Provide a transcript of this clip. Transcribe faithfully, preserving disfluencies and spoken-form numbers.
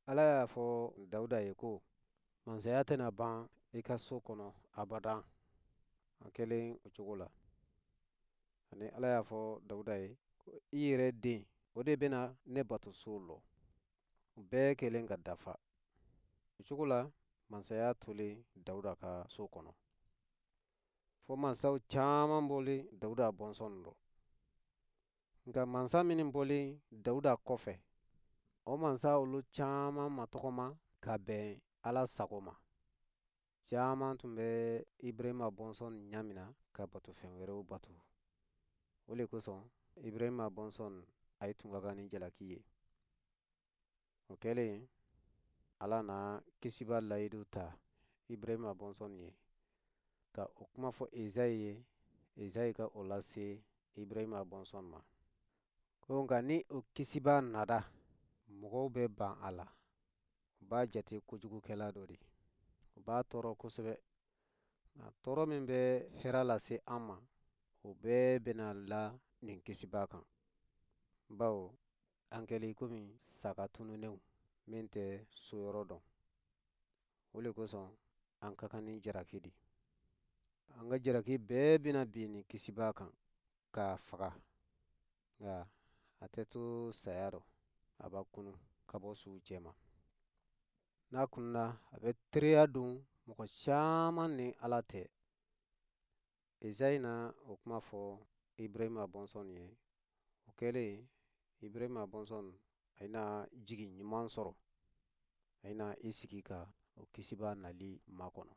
Ala y'a fɔ Dawuda ye ko mansaya tɛna ban i ka so kɔnɔ abadan. A kɛlen o cogo la. Ani Ala y'a fɔ Dawuda ye ko i yɛrɛ den, o de bɛna ne batoso lɔ. O bɛɛ kɛlen ka dafa. O cogo la, mansaya tolen Dawuda ka so kɔnɔ. Fo mansaw caman bɔlen Dawuda bɔnsɔn rɔ. Nka mansa minnu bɔlen Dawuda kɔfɛ, o mansa olu caman ma tɔgɔma ka bɛn Ala sago ma. Caman tun bɛ Ibrahima bɔnsɔn ɲamina ka batofɛn wɛrɛw bato. O le kosɔn Ibrahima bɔnsɔn a ye tun ka kan ni jalaki ye. O kɛlen, Ala na kisiba layidu ta Ibrahima bɔnsɔn ye, ka o kuma fɔ Ezayi ye, Ezayi ka o lase Ibrahima bɔnsɔn ma. Ko nka ni o kisiba nada, mɔgɔw bɛ ban a la. U b'a jate kojugukɛla dɔ de. U b'a tɔɔrɔ kosɛbɛ. Nka tɔɔrɔ min bɛ hɛrɛ lase an ma, o bɛɛ bɛna la nin kisiba kan. Bawo an kɛlen komi saga tununnenw min tɛ so yɔrɔ dɔn. O le kosɔn an ka kan ni jalaki di. An ka jalaki bɛɛ bɛna bin nin kisiba kan k'a faga. Nka a tɛ to saya rɔ, a b'a kunu ka bɔ suw cɛma. N'a kununa, a bɛ teriya don mɔgɔ caman ni Ala tɛ. Ezayi na o kuma fɔ Ibrahima bɔnsɔn ye. O kɛlen, Ibrahima bɔnsɔn a na jigi ɲuman sɔrɔ. A na i sigi ka o kisiba nali makɔnɔ.